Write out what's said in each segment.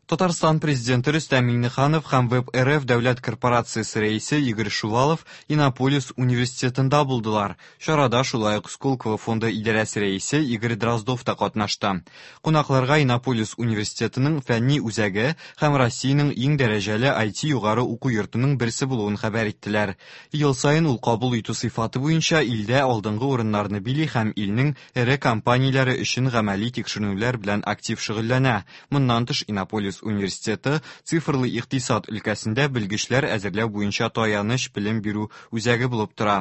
Татарстан Президенты Рөстәм Миңнеханов һәм ВЭБ-РФ дәүләт корпорациясе рәисе Игорь Шувалов Иннополис университетында булдылар. Чарада шулай ук Сколково фонды идарәсе рәисе Игорь Дроздов та катнашты. Кунакларга Иннополис университетының фәнни үзәге һәм Россиянең иң дәрәҗәле IT югары уку йортының берсе булуын хәбәр иттеләр. Ел саен ул кабул итү сыйфаты буенча илдә алдынгы урыннарны били һәм илнең эре компанияләре өчен гамәли тикшеренүләр белән актив шөгыльләнә. Моннан тыш, Иннополис университеты цифрлы икътисад өлкәсендә белгечләр әзерләү буенча таяныч белем бирү үзәге булып тора.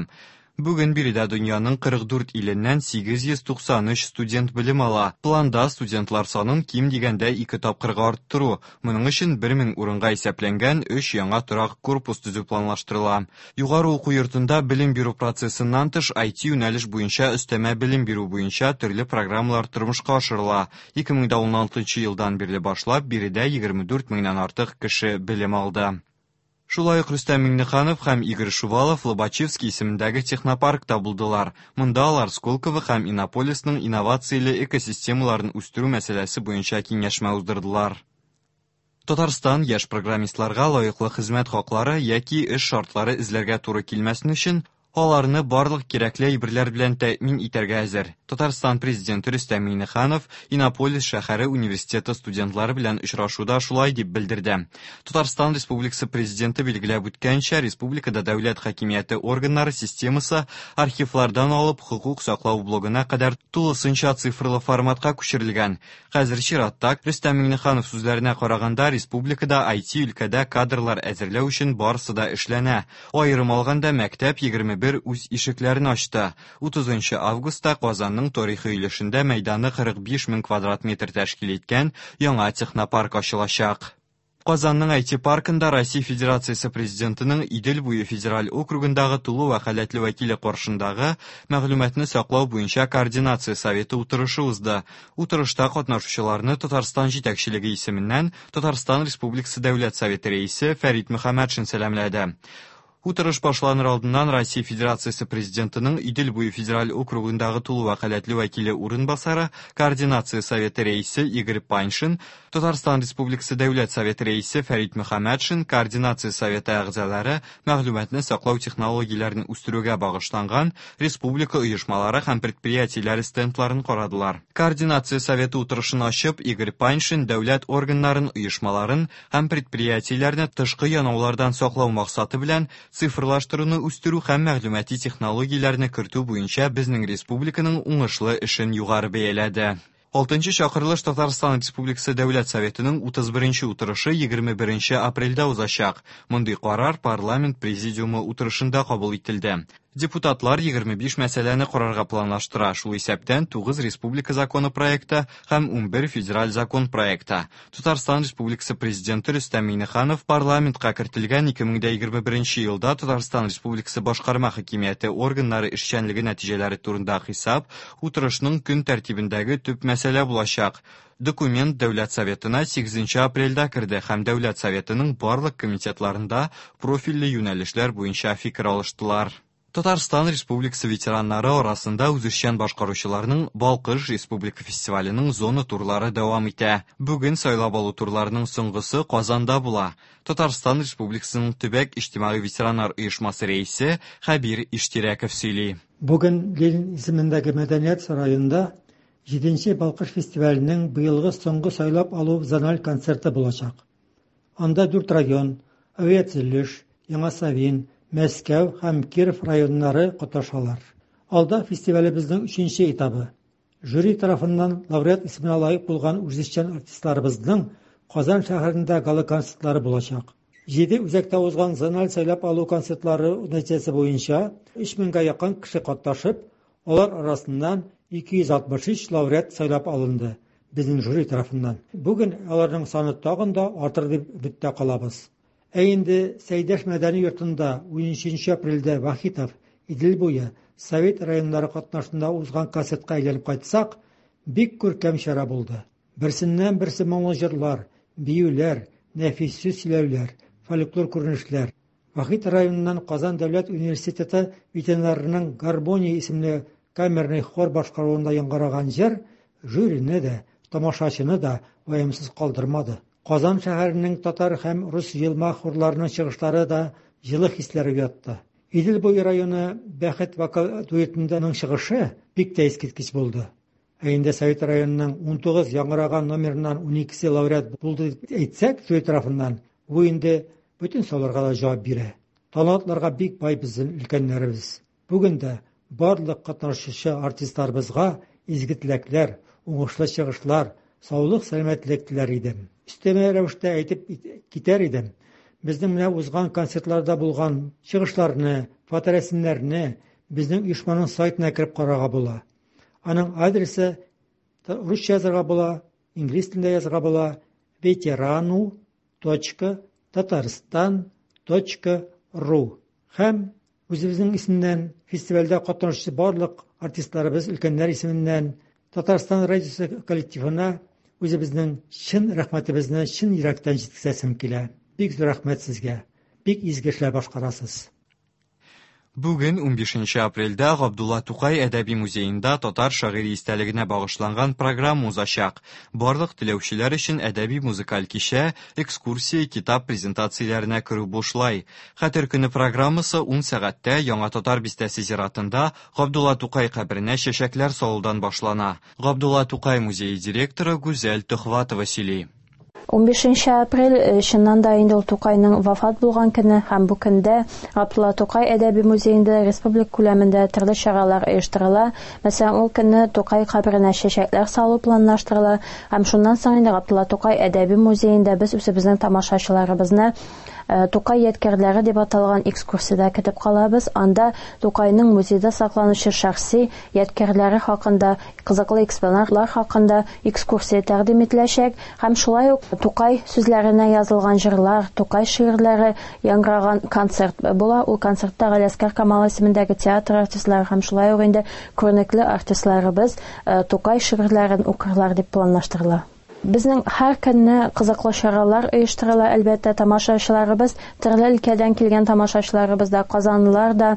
Бүген биредә дөньяның 44 иленнән 893 студент белем ала. Планда студентлар санын ким дигәндә ике тапкырга арттыру. Моның өчен 1000 урынга исәпләнгән өч яңа торак корпус төзү планлаштырыла. Югары уку йортында белем бирү процессыннан тыш IT юнәлеш буенча өстәмә белем бирү буенча төрле программалар тормышка ашырыла. 2016 елдан бирле башлап биредә 24 меңнән артык кеше белем алды. Шулай ук Рөстәм Миңнеханов һәм Игорь Шувалов Лобачевский исемендәге технопаркта булдылар. Монда алар Сколково һәм Иннополисның инновацияле экосистемаларын үстерү мәсьәләсе буенча киңәшмә уздырдылар. Татарстан яшь программистларга лаеклы хезмәт хаклары яки эш шартлары эзләргә туры килмәсен өчен аларны барлык кирәкле әйберләр белән тәэмин итәргә әзер. Татарстан Президенты Рөстәм Миңнеханов Иннополис шәһәре университеты студентлары белән очрашуда шулай дип белдерде. Татарстан Республикасы Президенты билгеләп үткәнчә, республикада дәүләт хакимияте органнары системасы архивлардан алып хокук саклау блогына кадәр тулысынча цифрлы форматка күчерелгән. Хәзер чиратта Рөстәм Миңнеханов сүзләренә караганда, республикада IT өлкәдә кадрлар әзерләү өчен барысы да эшләнә. Аерым алганда, мәктәп 21 үз ишекләрен ачты. 30 августта Казанның тарихи өлешендә мәйданы 45 мең квадрат метр тәшкил иткән яңа технопарк ачылачак. Казанның IT паркында Россия Федерациясе Президентының Идел буе федераль округындагы тулы вәкаләтле вәкиле каршындагы мәгълүматны саклау буенча координация советы утырышы узды. Утырышта катнашучыларны Татарстан җитәкчелеге исеменнән Татарстан Республикасы Дәүләт Советы рәисе Фәрит Мөхәммәтшин сәламләде. Утырыш башланыр алдыннан Россия Федерациясе Президентының Идел буе федераль округындагы тулы вәкаләтле вәкиле урынбасары, Координация советы рәисе Игорь Паньшин, Татарстан Республикасы Дәүләт Советы рәисе Фәрит Мөхәммәтшин, Координация советы әгъзалары мәгълүматны саклау технологияләрен үстерүгә багышланган республика оешмалары һәм предприятиеләре стендларын карадылар. Координация советы утырышын ачып, Игорь Паньшин дәүләт органнарын, оешмаларын һәм предприятиеләрне тышкы янаулардан саклау максаты белән цифрлаштыруны үстерү һәм мәгълүмати технологияләрне кертү буенча безнең республиканың уңышлы эшен югары бәяләде. Алтынчы чакырылыш Татарстан Республикасы Дәүләт Советының 31 утырышы 21 апрельдә узачак. Мондый карар парламент президиумы утырышында кабул ителде. Депутатлар 25 мәсьәләне карарга планлаштыра, шул исәптән 9 республика законы проекты һәм 11 федераль закон проекты. Татарстан Республикасы Президенты Рөстәм Миңнеханов парламентка кертелгән 2021 елда Татарстан Республикасы башкарма хакимияте органнары эшчәнлеге нәтиҗәләре турында хисап утырышның көн тәртибендәге төп мәсьәлә булачак. Документ Дәүләт Советына 8 апрельдә керде һәм Дәүләт Советының барлык комитетларында профильле юнәлешләр буенча фикер алыштылар. Татарстан Республикасы ветераннары арасында үзешчән башкаручыларның Балкыш республика фестиваленең зона турлары дәвам итә. Бүген сайлап алу турларының соңгысы Казанда була. Татарстан Республикасының төбәк иҗтимагый ветераннар оешмасы рәисе Хәбир Иштирәков сөйли. Бүген Ленин исемендәге мәдәният сараенда 7нче Балкыш фестиваленең быелгы соңгы сайлап алу зональ концерты булачак. Анда 4 район, Авиатөзелеш, Яңа Савин, Мәскәү һәм Киров районнары катнашалар. Алда фестивалебезнең 3нче этабы. Жюри тарафыннан лауреат исеменә лаек булган үзешчән артистларыбызның Казан шәһәрендә гала-концертлары булачак. 7 үзәктә узган зональ сайлап алу концертлары нәтиҗәсе буенча 3000гә якын кеше катнашып, алар арасыннан 263 лауреат сайлап алынды безнең жюри тарафыннан. Бүген аларның саны тагын да артыр дип өметтә калабыз. Ә инде Сәйдәш мәдәни йортында 13 апрельдә Вахитов, Идел буе, Совет районнары катнашында узган концертка әйләнеп кайтсак, бик күркәм чара булды. Берсеннән берсе моңлы җырлар, биюләр, нәфис сүз сөйләүләр, фольклор күренешләр. Вахит районыннан Казан дәүләт университеты ветераннарының Гармония исемле камерный хор башкаруында яңгыраган җыр жюрины да, тамашачыны да ваемсыз калдырмады. Казан шәһәренең татар һәм рус җыелма хорларының чыгышлары да җылы хисләр уятты. Идел буе районы Бәхет вокал дуэтының чыгышы бик тә искиткеч булды. Ә инде Совет районының 19 яңгыраган номерыннан 12-се лауреат булды дип әйтсәк, жюри тарафыннан, бу инде бөтен сорауларга да җавап бирә. Талантларга бик бай безнең өлкәннәребез. Бүген дә барлык катнашучы артистларыбызга изге теләкләр, уңышлы чыгышлар, саулык-сәламәтлек теләр идем. Өстәмә рәвештә әйтеп китәр идем, безнең менә узган концертларда булган чыгышларны, фоторәсемнәрне безнең оешманың сайтына кереп карарга була. Аның адресы русча язарга була, инглиз телендә язарга була, ветерану точка татарстан точка ру. Һәм үзебезнең исемнән фестивальдә катнашучы барлык артистларыбыз, өлкәннәр исеменнән Татарстан радиосы коллективына үзебезнең чын рәхмәтебезне чын йөрәктән җиткезәсем килә. Бик зур рәхмәт сезгә. Бик изге эшләр башкарасыз. Бүген, 15 апрельдә, Габдулла Тукай әдәби музеенда татар шагыйре истәлегенә багышланган программа узачак. Барлык теләүчеләр өчен әдәби-музыкаль кичә, экскурсия, китап презентацияләренә керү бушлай. Хәтер көне программасы 10 сәгатьтә Яңа Татар бистәсе зиратында Габдулла Тукай каберенә чәчәкләр салудан башлана. Габдулла Тукай музее директоры Гүзәл Төхватова сөйли. 15 апрель э, чыннан да инде ул Тукайның вафат булган көне һәм бу көндә Габдулла Тукай әдәби музеенда республика күләмендә төрле чаралар оештырыла. Мәсәлән, ул көнне Тукай каберенә чәчәкләр салу планлаштырыла һәм шуннан соң инде Габдулла Тукай әдәби музеенда без үзебезнең тамашачыларыбызны э, Тукай ядкәрләре дип аталган экскурсиядә көтеп калабыз. Анда Тукайның музейда сакланучы шәхси ядкәрләре хакында, кызыклы экспонатлар хакында экскурсия тәкъдим ителәчәк һәм шулай ук Тукай сүзләренә язылган җырлар, Тукай шигырьләре яңгыраган концерт була. Ул концертта Галиәсгар Камал исемендәге театр артистлары һәм шулай ук инде күренекле артистларыбыз э, Тукай шигырьләрен укырлар дип планлаштырыла. Безнең һәр көнне кызыклы чаралар оештырыла, әлбәттә, тамашачыларыбыз, төрле өлкәдән килгән тамашачыларыбыз да, казанлылар да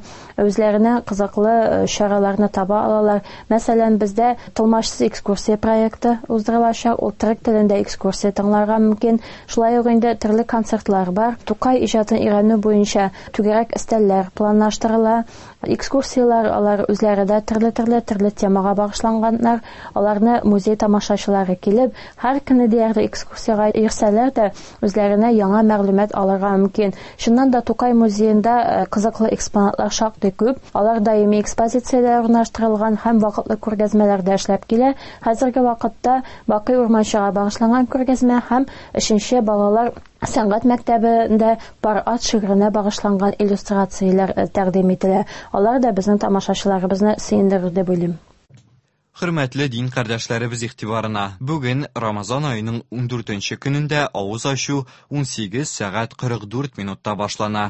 үзләренә кызыклы э, чараларны таба алалар. Мәсәлән, бездә тылмачсыз экскурсия проекты уздырылачак, ул төрек телендә экскурсия тыңларга мөмкин. Шулай ук инде төрле концертлар бар. Тукай иҗатын өйрәнү буенча түгәрәк өстәлләр планлаштырыла. Экскурсияләр алар үзләре дә төрле-төрле төрле темага багышланганнар. Аларны музей тамашачылары килеп, һәр көнне диярлек экскурсиягә йөрсәләр дә, үзләренә яңа мәгълүмат алырга мөмкин. Чыннан да Тукай музеенда э, кызыклы экспонатлар шактый күп. Алар даими экспозициядә урнаштырылган һәм вакытлы күргәзмәләрдә эшләп килә. Хәзерге вакытта Бакый Урманчыга багышланган күргәзмә һәм өченче балалар сәнгать мәктәбендә пар ат шигыренә багышланган иллюстрацияләр э, тәкъдим ителә. Алар да безнең тамашачыларыбызны сөендерер дип уйлыйм. Хөрмәтле дин кардәшләребез игътибарына, бүген Рамазан аеның 14 нче көнендә авыз ачу 18 сәгать 44 минутта башлана.